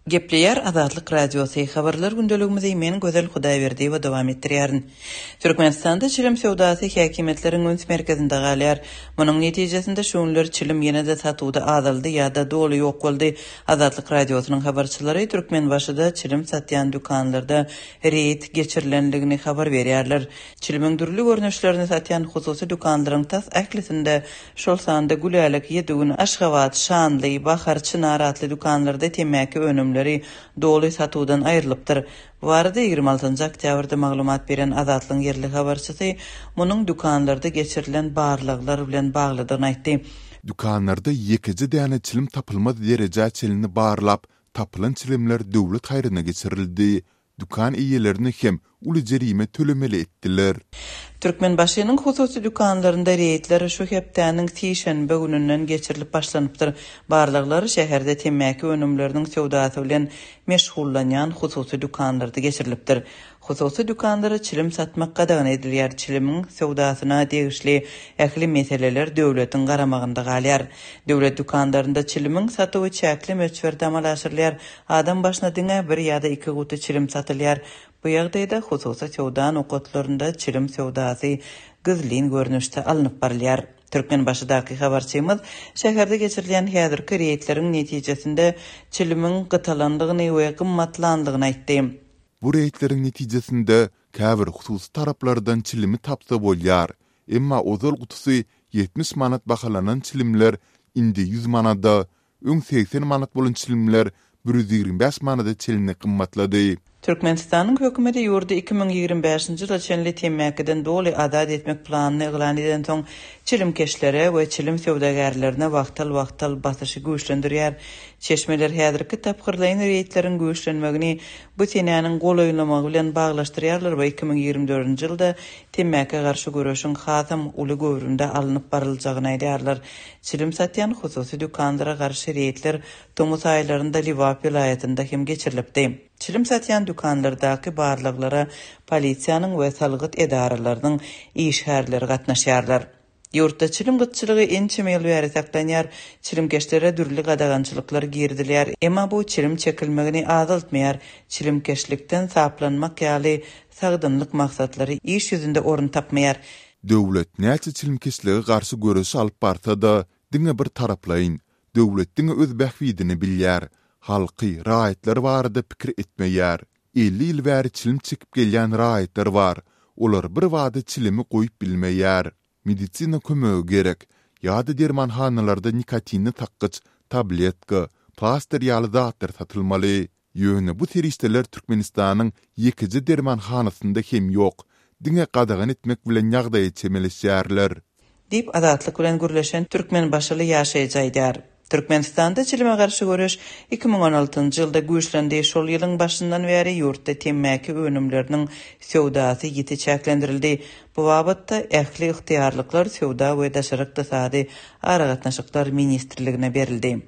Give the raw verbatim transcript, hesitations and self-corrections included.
Gepleýär Azatlyk Radiosy, Habarlar gündeligimizi men Gözel Hudaýberdiýewa dowam etdirýärin. Türkmenistanda çilim söwdasy häkimiýetleriň üns merkezinde galýar. Munuň netijesinde şu günler çilim ýene-de satuwda azaldy ýa-da doly ýok boldy. Azatlyk Radiosynyň habarçylary Türkmenbaşyda çilim satýan dükanlarda reýd geçirilendigini habar berýärler. Çilimiň dürli görnüşlerini satýan hususy dükanlaryň tas ählisinde, şol sanda Gülälek, Ýedi gün, Aşgabat, Şanly, Bahar, Çynar atly dükanlarda temmäki önümleri doly satuwdan aýrylypdyr. Bu barada ýigrimi altynjy oktýabrda maglumat beren Azatlygyň ýerli habarçysy munuň dükanlarda geçirilen barlaglar bilen baglydygyny aýtdy. Dükanlarda ýekeje däne çilim tapylmaz derejä çenli barlap, tapylan çilimler döwlet haýryna geçirildi. Dükan eýelerine hem uly jerime tölemeli etdiler. Türkmenbaşynyň hususy dükanlarynda reýdler şu hepdäniň sişenbe gününden geçirilip başlanypdyr. Barlaglar şäherde temmäki önümleriniň söwdasy bilen meşgullanýan hususy dükanlarda geçirilipdir. Hususy dükanlara çilim satmak gadagan edilýär, çilimiň söwdasyna degişli ähli meseleler döwletiň garamagynda galýar. Döwlet dükanlarynda çilimiň satuwy çäkli möçberde amala aşyrylýar, adam başyna diňe bir ýa-da iki guty çilim satylýar. Bu ýagdaýda hususy söwda nokatlarynda çilim söwdasy gizlin görnüşde alnyp barylýar. Türkmenbaşydaky habarçymyz şäherde geçirilýän häzirki reýdleriň netijesinde çilimiň gytalandygyny we gymmatlandygyny aýtdy. Bu reýdleriň netijesinde käbir hususy taraplardan çilimi tapsa bolýar. Emma ozal gutusy ýetmiş manat bahalanan çilimler indi ýüz manada, öň segsen manat bolan çilimler bir ýüz ýigrimi bäş manada çenli gymmatlady. Türkmenistanyň hökümeti ýurdy iki müň ýigrimi bäşinji ýyla çenli temmäkiden doly azat etmek planyny yglan edensoň, çilimkeşlere we çilim söwdagärlerine wagtal-wagtal basyşy güýçlendirýär. Çeşmeler häzirki tapgyrlaýyn reýdleriň güýçlenmegini bu senäniň golaýlamagy bilen baglaşdyrýarlar we iki müň ýigrimi dördünji ýylda temmäkä garşy göreşiň hasam uly göwrümde alnyp baryljagyny aýdýarlar. Çilim satýan hususy dükanlara garşy reýdler tomus aýlarynda Lebap welaýatynda hem geçirilipdi. Çilim satýan dükanlardaky barlaglara polisiýanyň we salgyt edaralarynyň işgärleri gatnaşýarlar. Ýurtda çilim gytçylygy ençeme ýyl bäri saklanýar, çilimkeşlere dürli gadagançylyklar girizilýär, emma bu çilim çekilmegini azaltmaýar, çilimkeşlikden saplanmak ýaly sagdynlyk maksatlary iş ýüzünde orun tapmaýar. Döwlet näçe çilimkeşlige garşy göreş alyp barsa-da, diňe bir taraplaýyn. Döwlet diňe öz bähbidini bilýär. Halky, raýatlar barada pikir etmeýär. Elli ýyl bäri çilim çekip gelýän raýatlar bar. Olar birbada çilimi goýup bilmeýär. Medisina kömegi gerek. Ýa-da dermanhanalarda nikotinli sakgyç, tabletka, plastyr ýaly zatlar satylmaly. Ýöne bu serişdeler Türkmenistanyň ýekeje dermanhanasynda hem ýok. Diňe gadagan etmek bilen ýagdaýa çemeleşýärler. Diýip, Azatlyk bilen gürleşen türkmenbaşyly ýaşaýjy aýdýar. Türkmenistanda çilime garşy göreş iki müň on altynjy ýylda güýçlendi, şol ýylyň başyndan bäri ýurtda temmäki önümleriniň söwdasy ýiti çäklendirildi. Bu babatda ähli ygtyýarlyklar Söwda we daşary ykdysady aragatnaşyklar ministrligine berildi.